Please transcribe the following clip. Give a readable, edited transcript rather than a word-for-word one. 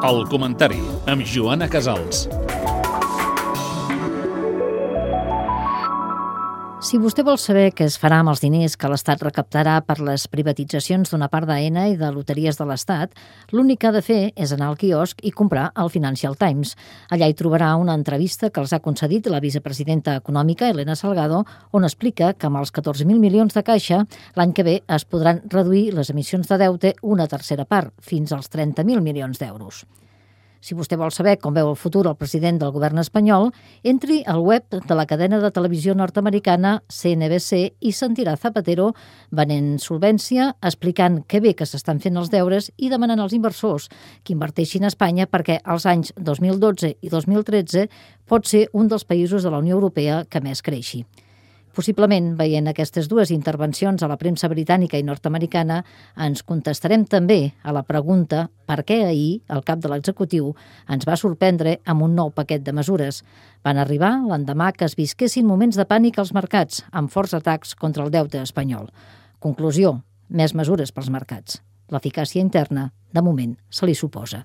El comentari amb Joana Casals. Si vostè vol saber què es farà amb els diners que l'Estat recaptarà per les privatitzacions d'una part d'Aena i de Loteries de l'Estat, l'únic que ha de fer és anar al quiosc i comprar el Financial Times. Allà hi trobarà una entrevista que els ha concedit la vicepresidenta econòmica, Elena Salgado, on explica que amb els 14.000 milions de caixa, l'any que ve es podran reduir les emissions de deute una tercera part, fins als 30.000 milions d'euros. Si vostè vol saber com veu el futur el president del govern espanyol, entri al web de la cadena de televisió nord-americana CNBC i sentirà Zapatero venent solvència, explicant que bé que s'estan fent els deures i demanant als inversors que inverteixin a Espanya perquè als anys 2012 i 2013 pot ser un dels països de la Unió Europea que més creixi. Possiblement, veient aquestes dues intervencions a la premsa britànica i nord-americana, ens contestarem també a la pregunta per què ahir el cap de l'executiu ens va sorprendre amb un nou paquet de mesures. Van arribar l'endemà que es visquessin moments de pànic als mercats, amb forts atacs contra el deute espanyol. Conclusió, més mesures pels mercats. L'eficàcia interna, de moment, se li suposa.